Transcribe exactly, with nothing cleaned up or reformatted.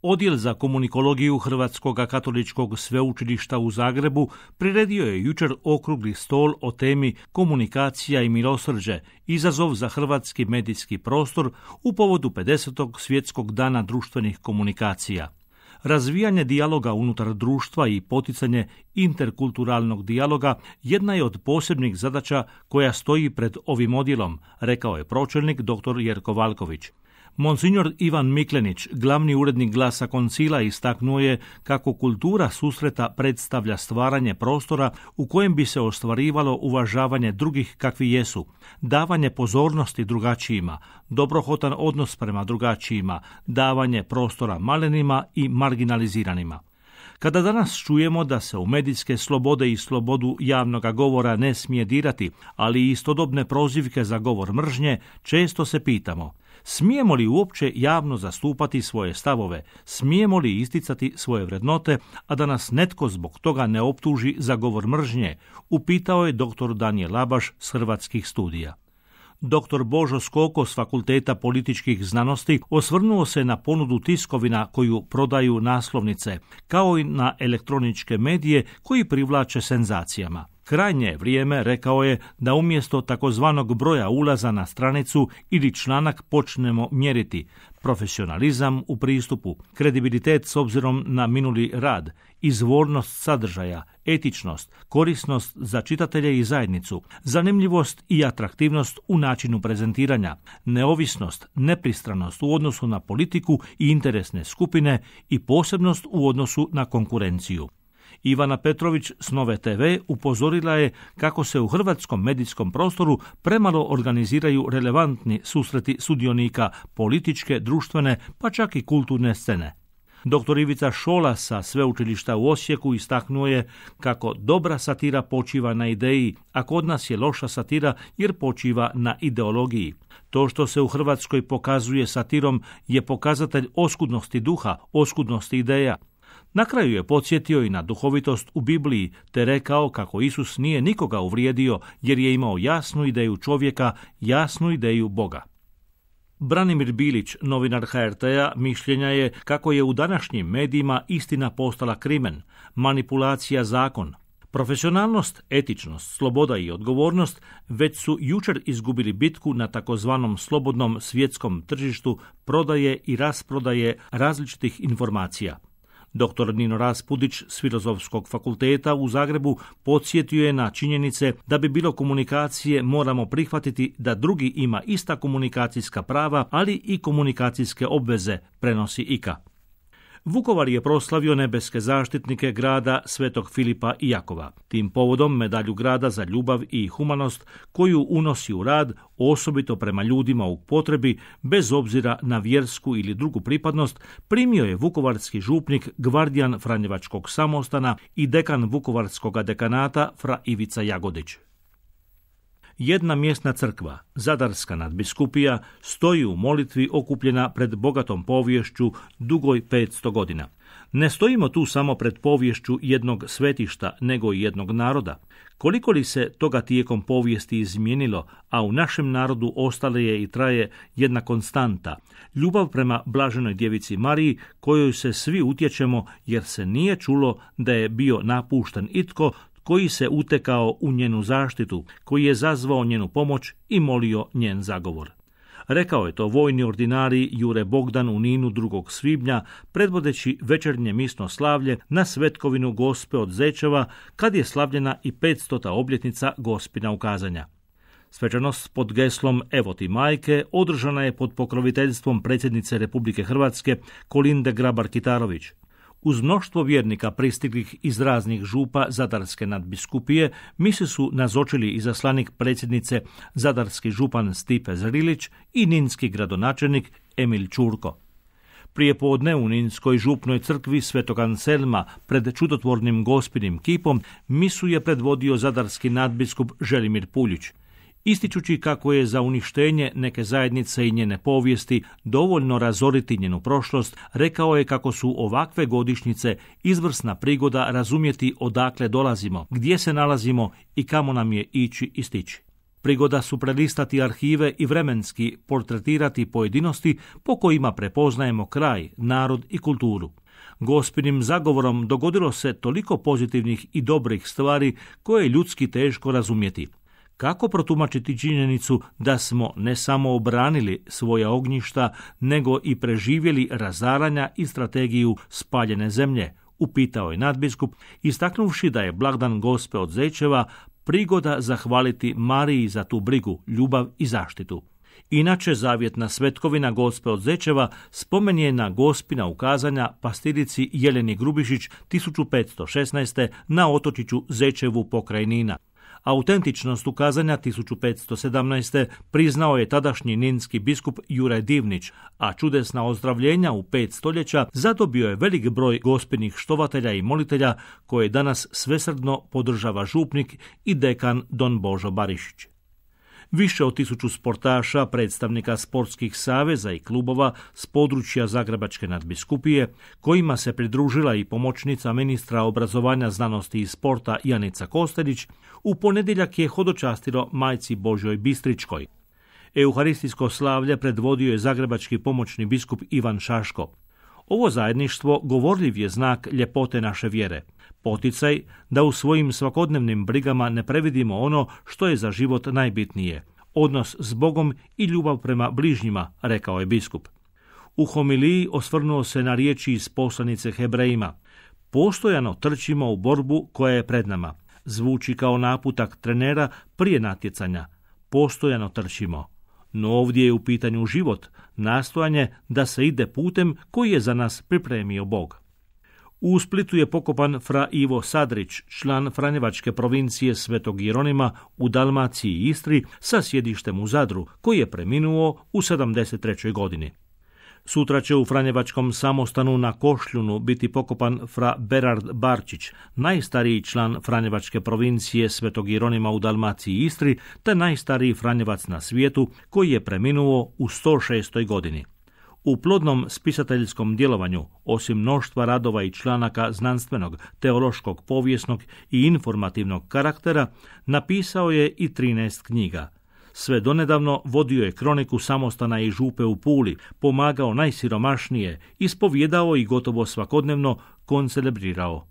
Odjel za komunikologiju Hrvatskog katoličkog sveučilišta u Zagrebu priredio je jučer okrugli stol o temi komunikacija i milosrđe, izazov za hrvatski medijski prostor u povodu pedesetog svjetskog dana društvenih komunikacija. Razvijanje dijaloga unutar društva i poticanje interkulturalnog dijaloga jedna je od posebnih zadaća koja stoji pred ovim odjelom, rekao je pročelnik dr. Jerko Valković. Monsignor Ivan Miklenić, glavni urednik Glasa Koncila, istaknuo je kako kultura susreta predstavlja stvaranje prostora u kojem bi se ostvarivalo uvažavanje drugih kakvi jesu, davanje pozornosti drugačijima, dobrohotan odnos prema drugačijima, davanje prostora malenima i marginaliziranima. Kada danas čujemo da se u medijske slobode i slobodu javnog govora ne smije dirati, ali i istodobne prozivke za govor mržnje, često se pitamo: smijemo li uopće javno zastupati svoje stavove, smijemo li isticati svoje vrednote, a da nas netko zbog toga ne optuži za govor mržnje, upitao je dr. Danijel Labaš s Hrvatskih studija. Doktor Božo Skoko s Fakulteta političkih znanosti osvrnuo se na ponudu tiskovina koju prodaju naslovnice, kao i na elektroničke medije koji privlače senzacijama. Krajnje je vrijeme, rekao je, da umjesto takozvanog broja ulaza na stranicu ili članak počnemo mjeriti profesionalizam u pristupu, kredibilitet s obzirom na minuli rad, izvornost sadržaja, etičnost, korisnost za čitatelje i zajednicu, zanimljivost i atraktivnost u načinu prezentiranja, neovisnost, nepristranost u odnosu na politiku i interesne skupine i posebnost u odnosu na konkurenciju. Ivana Petrović s Nove te ve upozorila je kako se u hrvatskom medijskom prostoru premalo organiziraju relevantni susreti sudionika političke, društvene, pa čak i kulturne scene. Doktor Ivica Šola sa Sveučilišta u Osijeku istaknuo je kako dobra satira počiva na ideji, a kod nas je loša satira jer počiva na ideologiji. To što se u Hrvatskoj pokazuje satirom je pokazatelj oskudnosti duha, oskudnosti ideja. Na kraju je podsjetio i na duhovitost u Bibliji, te rekao kako Isus nije nikoga uvrijedio jer je imao jasnu ideju čovjeka, jasnu ideju Boga. Branimir Bilić, novinar ha er te-a, mišljenja je kako je u današnjim medijima istina postala krimen, manipulacija zakon. Profesionalnost, etičnost, sloboda i odgovornost već su jučer izgubili bitku na takozvanom slobodnom svjetskom tržištu prodaje i rasprodaje različitih informacija. Doktor Nino Raspudić s Filozofskog fakulteta u Zagrebu podsjetio je na činjenice da bi bilo komunikacije moramo prihvatiti da drugi ima ista komunikacijska prava, ali i komunikacijske obveze, prenosi I K A. Vukovar je proslavio nebeske zaštitnike grada Svetog Filipa i Jakova. Tim povodom medalju grada za ljubav i humanost koju unosi u rad, osobito prema ljudima u potrebi, bez obzira na vjersku ili drugu pripadnost, primio je vukovarski župnik, gvardijan Franjevačkog samostana i dekan Vukovarskog dekanata fra Ivica Jagodić. Jedna mjesna crkva, Zadarska nadbiskupija, stoji u molitvi okupljena pred bogatom poviješću dugoj petsto godina. Ne stojimo tu samo pred poviješću jednog svetišta, nego i jednog naroda. Koliko li se toga tijekom povijesti izmijenilo, a u našem narodu ostale je i traje jedna konstanta, ljubav prema blaženoj djevici Mariji, kojoj se svi utječemo jer se nije čulo da je bio napušten itko koji se utekao u njenu zaštitu, koji je zazvao njenu pomoć i molio njen zagovor. Rekao je to vojni ordinarij Jure Bogdan u Ninu drugog svibnja, predvodeći večernje misno slavlje na Svetkovinu Gospe od Zečeva, kad je slavljena i petstota obljetnica Gospina ukazanja. Svečanost pod geslom Evo ti majke održana je pod pokroviteljstvom predsjednice Republike Hrvatske Kolinde Grabar-Kitarović. Uz mnoštvo vjernika pristiglih iz raznih župa Zadarske nadbiskupije misi su nazočili izaslanik predsjednice zadarski župan Stipe Zrilić i ninski gradonačelnik Emil Čurko. Prije podne u Ninskoj župnoj crkvi Svetog Anselma pred čudotvornim Gospinim kipom misu je predvodio zadarski nadbiskup Želimir Puljić. Ističući kako je za uništenje neke zajednice i njene povijesti dovoljno razoriti njenu prošlost, rekao je kako su ovakve godišnjice izvrsna prigoda razumjeti odakle dolazimo, gdje se nalazimo i kamo nam je ići i stići. prigoda su prelistati arhive i vremenski portretirati pojedinosti po kojima prepoznajemo kraj, narod i kulturu. Gospinim zagovorom dogodilo se toliko pozitivnih i dobrih stvari koje je ljudski teško razumjeti. Kako protumačiti činjenicu da smo ne samo obranili svoja ognjišta, nego i preživjeli razaranja i strategiju spaljene zemlje, upitao je nadbiskup, istaknuvši da je blagdan Gospe od Zečeva prigoda zahvaliti Mariji za tu brigu, ljubav i zaštitu. Inače, zavjetna svetkovina Gospe od Zečeva spomen je na Gospina ukazanja pastirici Jeleni Grubišić tisuću petsto šesnaeste. na otočiću Zečevu pokraj Nina. Autentičnost ukazanja tisuću petsto sedamnaeste. priznao je tadašnji ninski biskup Juraj Divnić, a čudesna ozdravljenja u pet stoljeća zadobio je velik broj gospinih štovatelja i molitelja koje danas svesrdno podržava župnik i dekan don Božo Barišić. Više od tisuću sportaša, predstavnika sportskih saveza i klubova s područja Zagrebačke nadbiskupije, kojima se pridružila i pomoćnica ministra obrazovanja, znanosti i sporta Janica Kostelić, u ponedjeljak je hodočastilo majci Božjoj Bistričkoj. Euharistijsko slavlje predvodio je zagrebački pomoćni biskup Ivan Šaško. Ovo zajedništvo govorljiv je znak ljepote naše vjere, poticaj da u svojim svakodnevnim brigama ne previdimo ono što je za život najbitnije, odnos s Bogom i ljubav prema bližnjima, rekao je biskup. U homiliji osvrnuo se na riječi iz poslanice Hebrejima. Postojano trčimo u borbu koja je pred nama. Zvuči kao naputak trenera prije natjecanja. Postojano trčimo. No ovdje je u pitanju život, nastojanje da se ide putem koji je za nas pripremio Bog. U Splitu je pokopan fra Ivo Sadrić, član Franjevačke provincije Svetog Jeronima u Dalmaciji i Istri sa sjedištem u Zadru, koji je preminuo u sedamdeset trećoj godini. Sutra će u Franjevačkom samostanu na Košljunu biti pokopan fra Berard Barčić, najstariji član Franjevačke provincije Svetog Jeronima u Dalmaciji i Istri, te najstariji Franjevac na svijetu, koji je preminuo u sto šestoj godini. U plodnom spisateljskom djelovanju, osim mnoštva radova i članaka znanstvenog, teološkog, povijesnog i informativnog karaktera, napisao je i trinaest knjiga. Sve donedavno vodio je kroniku samostana i župe u Puli, pomagao najsiromašnije, ispovjedao i gotovo svakodnevno koncelebrirao.